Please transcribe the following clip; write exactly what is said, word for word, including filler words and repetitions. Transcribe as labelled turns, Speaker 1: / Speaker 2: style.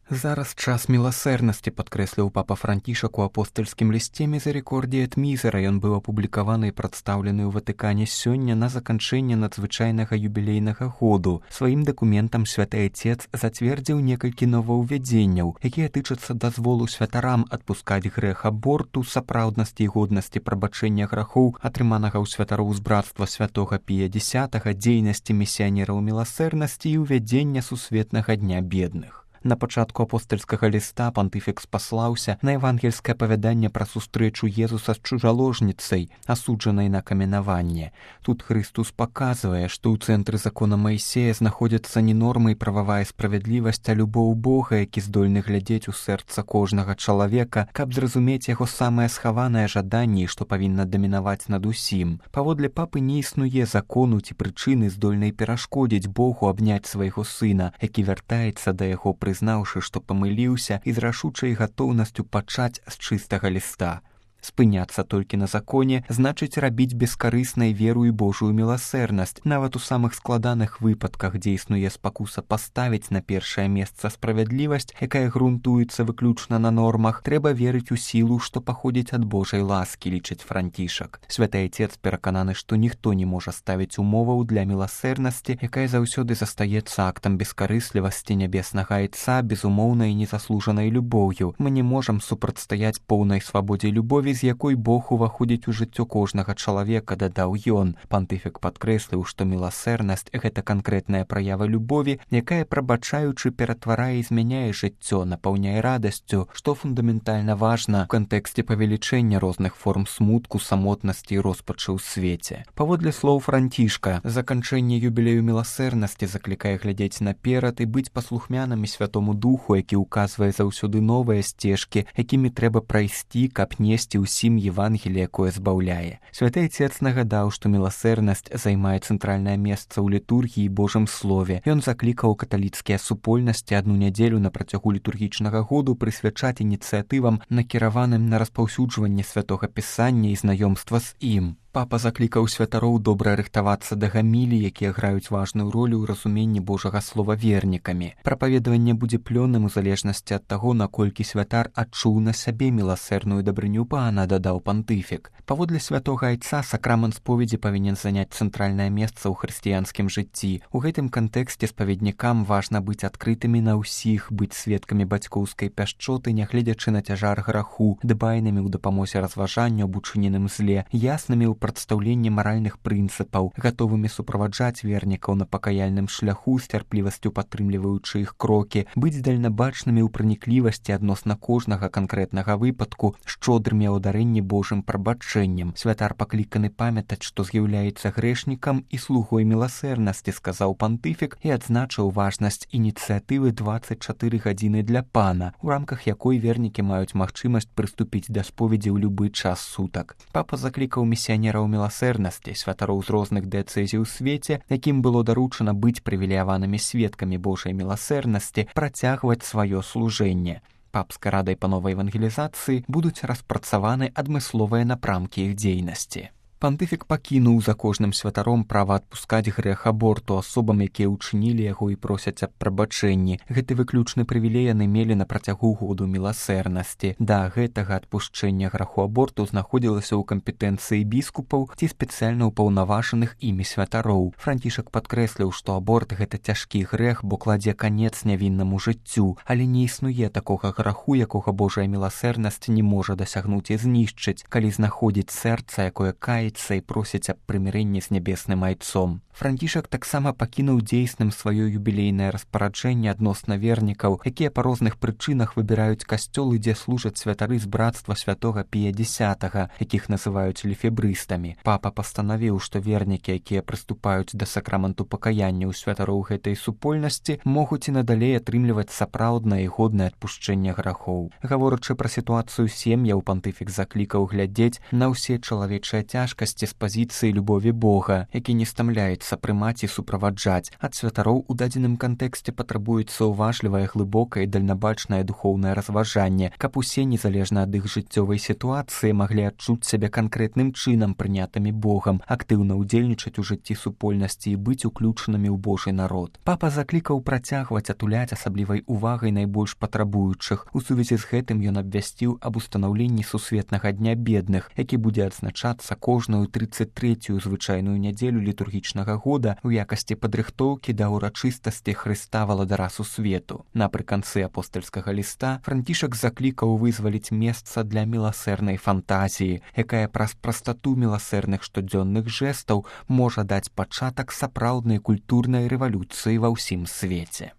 Speaker 1: Зараз час міласэрнасці, падкрэсліў папа Францішак у апостальскім лісце «Мізерікордія эт мізера». Ён быў апублікаваны і прадстаўлены ў Ватыкане сёння на заканчэнне надзвычайнага юбілейнага году. Сваім дакументам святы Отец зацвердзіў некалькі новаўвядзенняў, якія тычацца дазволу святарам адпускаць грэх аборту, сапраўднасці і годнасці прабачэння грахоў, атрыманага ў святароў з брацтва святога Пія Дзясятага, дзейнасці місіянераў міласэрнасці і ўвядзення сусветнага дня бедных. На пачатку апостальскага ліста пантыфік спаслаўся на евангельскае апавяданне пра сустрэчу Езуса з чужаложніцай, асуджанай на каменаванне. Тут Христус паказвае, што ў цэнтры закона Маісея знаходзяцца не нормы і прававая справядлівасць, а любоў Бога, які здольны глядзець у сэрца кожнага чалавека, каб зразумець яго самае схаванае жаданне, што павінна дамінаваць над усім. Паводле папы не існуе закону ці прычыны, здольнай перашкодзіць Богу абняць свайго сына, які вяртаецца да яго, прызнаўшы, што памыліўся, і з рашучай гатоўнасцю пачаць з чыстага ліста. Спыняцца толькі на законе значыць рабіць бескарыснай веру і Божую міласэрнасць. Нават у самых складаных выпадках, дзе існуе спакуса паставіць на першае месца справядлівасць, якая грунтуецца выключна на нормах, трэба верыць у сілу, што паходзіць ад Божай ласкі, лічыць Францішак. Святы Отец перакананы, што ніхто не можа ставіць умоваў для міласэрнасці, якая заўсёды застаецца актам бескарыслівасці нябеснага Айца, безумоўнай і незаслужанай любоўю. Мы не можам супрацьстаяць поўнай свабодзе любові, з якой Бог уваходзіць у жыццё кожнага чалавека, дадаў ён. Пантыфік падкрэсліў, што міласэрнасць — гэта канкрэтная праява любові, якая, прабачаючы, ператварае і змяняе жыццё, напаўняе радасцю, што фундаментальна важна ў кантэксце павелічэння розных форм смутку, самотнасці і роспачы ў свеце. Паводле слоў Францішка, заканчэнне юбілею міласэрнасці заклікае глядзець наперад і быць паслухмянымі Святому Духу, які ўказвае заўсёды новыя сцежкі, якімі трэба прайсці, каб несці ўсім Евангеліе, якое збаўляе. Святы Отец нагадаў, што міласэрнасць займае цэнтральнае месца ў літургіі і Божым слове. Ён заклікаў каталіцкія супольнасці адну нядзелю на працягу літургічнага году прысвячаць ініцыятывам, накіраваным на распаўсюджванне святога пісання і знаёмства з ім. Папа заклікаў святароў добра рыхтавацца да гамілій, якія граюць важную ролю ў разуменні Божага слова вернікамі. Прапаведаванне будзе плённым у залежнасці ад таго, наколькі святар адчуў на сябе міласэрную дабрыню пана, дадаў пантыфік. Паводле святога Айца сакрамент споведзі павінен заняць цэнтральнае месца ў хрысціянскім жыцці. У гэтым кантэксце спаведнікам важна быць адкрытымі на ўсіх, быць сведкамі бацькоўскай пяшчоты, нягледзячы на цяжар граху, дбайнымі ў дапамозе разважанню аб учыненым зле, яснымі ў прадстаўленні маральных прынцыпаў, гатовымі суправаджаць вернікаў на пакаяльным шляху, з цярплівасцю падтрымліваючы іх крокі, быць дальнабачнымі ў праніклівасці адносна кожнага канкрэтнага выпадку, шчодрымі ў дарэнні Божым прабачэннем. Святар пакліканы памятаць, што з'яўляецца грэшнікам і слугой міласэрнасці, сказаў пантыфік і адзначыў важнасць ініцыятывы дваццаць чатыры гадзіны для пана, у рамках якой вернікі маюць магчымасць прыступіць да споведзі ў любы час сутак. Папа заклікаў місіянераў міласэрнасці, святароў з розных дыяцэзій у свеце, якім было даручана быць прывілеяванымі сведкамі Божай міласэрнасці, працягваць сваё служэнне. Папскай радай па новай евангелізацыі будуць распрацаваны адмысловыя напрамкі іх дзейнасці. Пантыфік пакінуў за кожным святаром права адпускаць грэх аборту асобам, якія ўчынілі яго і просяць аб прабачэнні. Гэты выключны прывілей яны мелі на працягу году міласэрнасці. Да гэтага адпушчэння граху аборту знаходзілася ў кампетэнцыі біскупаў ці спецыяльна ўпаўнаважаных імі святароў. Францішак падкрэсліў, што аборт — гэта цяжкі грэх, бо кладзе канец нявіннаму жыццю, але не існуе такога граху, якога Божая міласэрнасць не можа дасягнуць і знішчыць, калі знаходзіць сэрца, якое кае і просяць аб прымірэнні з нябесным Айцом. Францішак таксама пакінуў дзейсным сваё юбілейнае распараджэнне адносна вернікаў, якія па розных прычынах выбіраюць касцёлы, дзе служаць святары з брацтва святога Пія Дзясятага, якіх называюць лефебрыстамі. Папа пастанавіў, што вернікі, якія прыступаюць да сакраменту пакаяння ў святароў гэтай супольнасці, могуць і надалей атрымліваць сапраўднае і годнае адпушчэнне грахоў. Гаворачы пра сітуацыю сем'яў, пантыфік заклікаў глядзець на ўсе чалавечыя цяжкасці цяжкасці з пазіцыі любові Бога, які не стамляецца прымаць і суправаджаць. Ад святароў у дадзеным кантэксце патрабуецца уважлівае, глыбокае і дальнабачнае духоўнае разважанне, каб усе, незалежна ад іх жыццёвай сітуацыі, маглі адчуць сябе канкрэтным чынам, прынятымі Богам, актыўна ўдзельнічаць у жыцці супольнасці і быць уключанымі ў Божы народ. Папа заклікаў працягваць атуляць асаблівай увагай найбольш патрабуючых. У сувязі з гэтым ён абвясціў аб устанаўленні сусветнага дня бедных, які будзе адзначацца кожную трыццаць трэцюю звычайную нядзелю літургічнага года ў якасці падрыхтоўкі да ўрачыстасці Хрыста валадара сусвету. Напрыканцы апостальскага ліста Францішак заклікаў вызваліць месца для міласэрнай фантазіі, якая праз прастату міласэрных штодзённых жэстаў можа даць пачатак сапраўднай культурнай рэвалюцыі ва ўсім свеце.